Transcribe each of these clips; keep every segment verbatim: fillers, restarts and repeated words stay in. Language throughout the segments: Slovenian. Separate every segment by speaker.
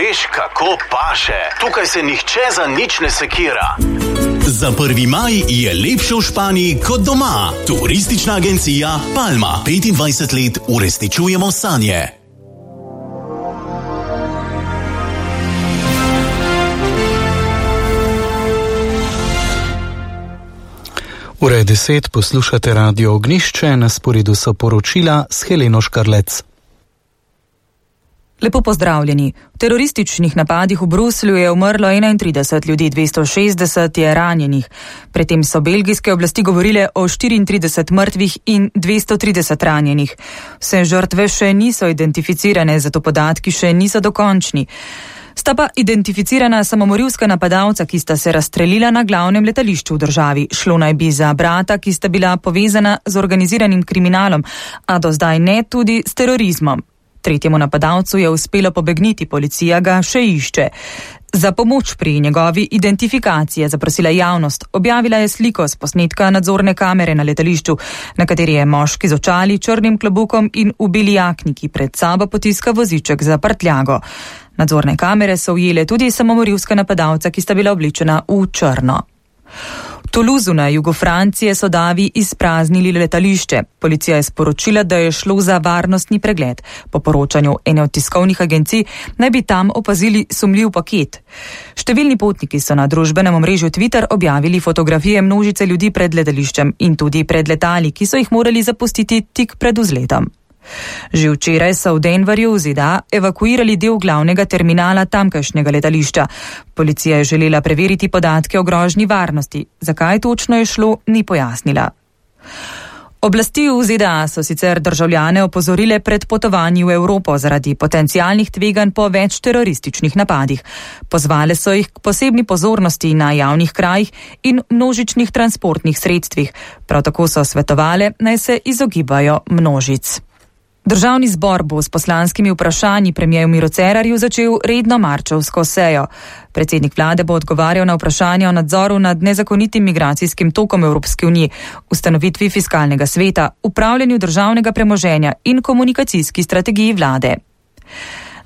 Speaker 1: veš, kako paše. Tukaj se nihče za nič ne sekira.
Speaker 2: Za prvi maj je lepše v Španiji kot doma. Turistična agencija Palma. petindvajset let uresničujemo sanje.
Speaker 3: Ura je deset, poslušate Radio Ognjišče, na sporedu so poročila s Heleno Škarlec.
Speaker 4: Lepo pozdravljeni. V terorističnih napadih v Bruslju je umrlo enaintrideset ljudi, dvesto šestdeset je ranjenih. Predtem so belgijske oblasti govorile o štiriintrideset mrtvih in dvesto trideset ranjenih. Vse žrtve še niso identificirane, zato podatki še niso dokončni. Sta pa identificirana samomorilska napadalca, ki sta se razstrelila na glavnem letališču v državi. Šlo naj bi za brata, ki sta bila povezana z organiziranim kriminalom, a do zdaj ne tudi s terorizmom. Tretjemu napadalcu je uspelo pobegniti, policija ga še išče. Za pomoč pri njegovi identifikaciji je zaprosila javnost. Objavila je sliko s posnetka nadzorne kamere na letališču, na kateri je moški z očali, črnim klobukom in v beli jakni, ki pred sabo potiska voziček za prtljago. Nadzorne kamere so ujele tudi samomorilska napadalca, ki sta bila oblečena v črno. V Toulouseu na jugu Francije so davi izpraznili letališče. Policija je sporočila, da je šlo za varnostni pregled. Po poročanju ene od tiskovnih agencij naj bi tam opazili sumljiv paket. Številni potniki so na družbenem omrežju Twitter objavili fotografije množice ljudi pred letališčem in tudi pred letali, ki so jih morali zapustiti tik pred vzletom. Že včeraj so v Denverju v Z D A evakuirali del glavnega terminala tamkajšnjega letališča. Policija je želela preveriti podatke o grožnji varnosti. Zakaj točno je šlo, ni pojasnila. Oblasti v Z D A so sicer državljane opozorile pred potovanji v Evropo zaradi potencialnih tveganj po več terorističnih napadih. Pozvale so jih k posebni pozornosti na javnih krajih in množičnih transportnih sredstvih. Prav tako so svetovale, naj se izogibajo množic. Državni zbor bo s poslanskimi vprašanji premierju Miro Cerarju začel redno marčevsko sejo. Predsednik vlade bo odgovarjal na vprašanja o nadzoru nad nezakonitim migracijskim tokom Evropske unije, ustanovitvi fiskalnega sveta, upravljanju državnega premoženja in komunikacijski strategiji vlade.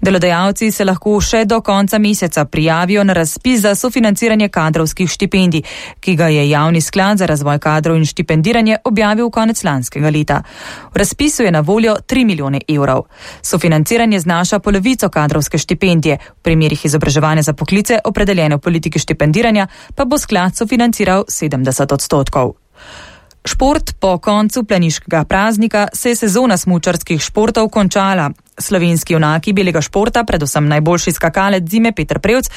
Speaker 4: Delodajalci se lahko še do konca meseca prijavijo na razpis za sofinanciranje kadrovskih štipendij, ki ga je Javni sklad za razvoj kadrov in štipendiranje objavil konec lanskega leta. V razpisu je na voljo tri milijone evrov. Sofinanciranje znaša polovico kadrovske štipendije, v primerih izobraževanja za poklice opredeljene v politiki štipendiranja pa bo sklad sofinanciral sedemdeset odstotkov. Šport. Po koncu planiškega praznika se je sezona smučarskih športov končala. Slovenski junaki belega športa, predvsem najboljši skakalec zime Peter Prevc,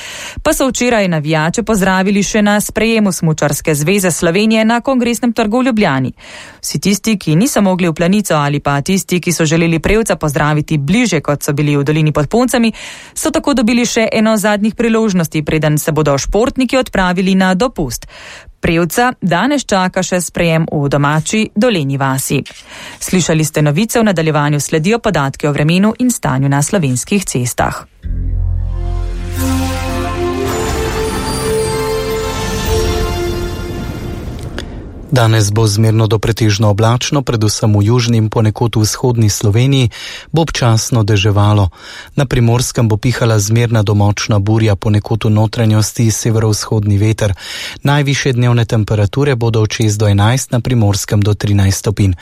Speaker 4: pa so včeraj navijače pozdravili še na sprejemu Smučarske zveze Slovenije na Kongresnem trgu v Ljubljani. Vsi tisti, ki niso mogli v Planico ali pa tisti, ki so želeli Prevca pozdraviti bliže, kot so bili v dolini pod Puncami, so tako dobili še eno zadnjih priložnosti, preden se bodo športniki odpravili na dopust. Prevca danes čaka še sprejem v domači Dolenji vasi. Slišali ste novice, v nadaljevanju sledijo podatki o vremenu in stanju na slovenskih cestah.
Speaker 3: Danes bo zmerno do pretežno oblačno, predvsem v južni in ponekod v vzhodni Sloveniji bo občasno deževalo. Na Primorskem bo pihala zmerna do močna burja, ponekod v notranjosti severovzhodni veter. Najvišje dnevne temperature bodo od šest do enajst, na Primorskem do trinajst stopinj.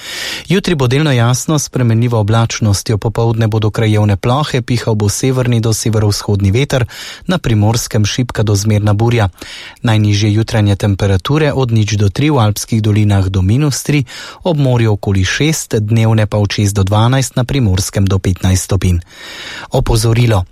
Speaker 3: Jutri bo delno jasno, s spremenljivo oblačnostjo, popoldne bodo krajevne plohe, pihal bo severni do severovzhodni veter, na Primorskem šibka do zmerna burja. Najnižje jutranje temperature od nič do tri, v alpskih dolinah do minus tri, ob morju okoli šest, dnevne pa od šest do dvanajst, na Primorskem do petnajst stopinj. Opozorilo.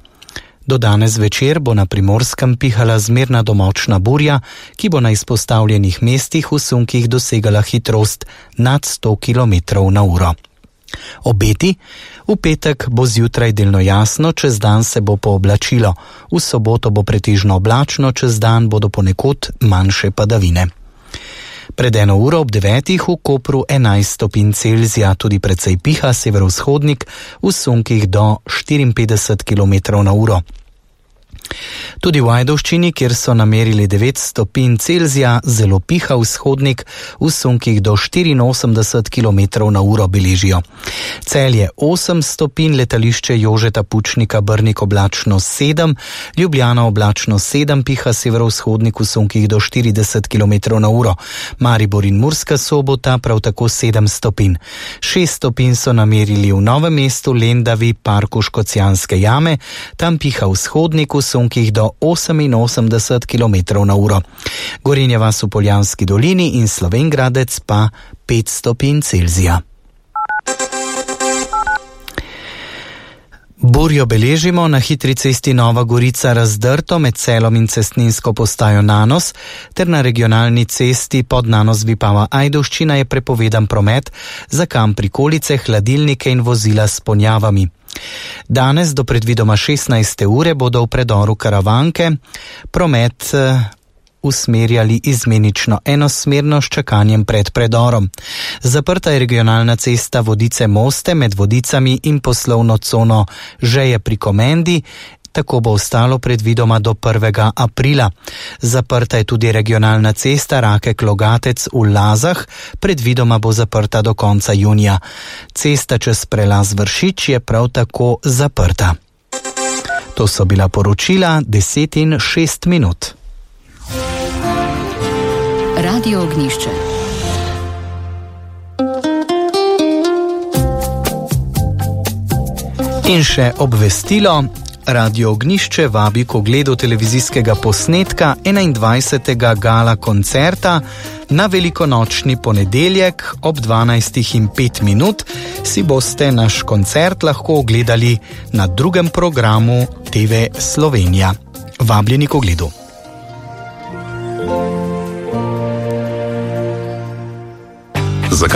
Speaker 3: Do danes večer bo na Primorskem pihala zmerna do močna burja, ki bo na izpostavljenih mestih v sunkih dosegala hitrost nad sto kilometrov na uro. Obeti. V petek bo zjutraj delno jasno, čez dan se bo pooblačilo. V soboto bo pretežno oblačno, čez dan bodo ponekod manjše padavine. Pred eno uro ob devetih v Kopru enajst stopinj Celzija, tudi precej piha severovzhodnik, v sunkih do štiriinpetdeset kilometrov na uro. Tudi v Ajdovščini, kjer so namerili devet stopinj Celzija, zelo piha vzhodnik, v sunkih do štiriinosemdeset kilometrov na uro beležijo. Celje osem stopinj, letališče Jožeta Pučnika Brnik oblačno sedem, Ljubljana oblačno sedem, piha severovzhodnik v sunkih do štirideset kilometrov na uro. Maribor in Murska Sobota prav tako sedem stopinj. šest stopinj so namerili v Novem mestu, Lendavi, Parku Škocjanske jame, tam piha vzhodnik v sunkih do oseminosemdeset kilometrov na uro. Gorenja vas v Poljanski dolini in Slovenj Gradec pa pet stopinj Celzija. Burjo beležimo na hitri cesti Nova Gorica Razdrto med Celom in cestninsko postajo Nanos, ter na regionalni cesti pod Nanos Vipava Ajdovščina je prepovedan promet za kam prikolice, hladilnike in vozila s ponjavami. Danes do predvidoma šestnajste ure bodo v predoru Karavanke promet usmerjali izmenično enosmerno s čakanjem pred predorom. Zaprta je regionalna cesta Vodice Moste med Vodicami in poslovno cono Žeje pri Komendi, tako bo ostalo predvidoma do prvega aprila. Zaprta je tudi regionalna cesta Rakek-Logatec v Lazah, predvidoma bo zaprta do konca junija. Cesta čez prelaz Vršič je prav tako zaprta. To so bila poročila deset in šest minut.
Speaker 5: Radio Ognjišče.
Speaker 3: In še obvestilo. Radio Ognjišče vabi k ogledu televizijskega posnetka enaindvajsetega gala koncerta na velikonočni ponedeljek ob dvanajstih in pet minut. Si boste naš koncert lahko ogledali na drugem programu T V Slovenija. Vabljeni k ogledu.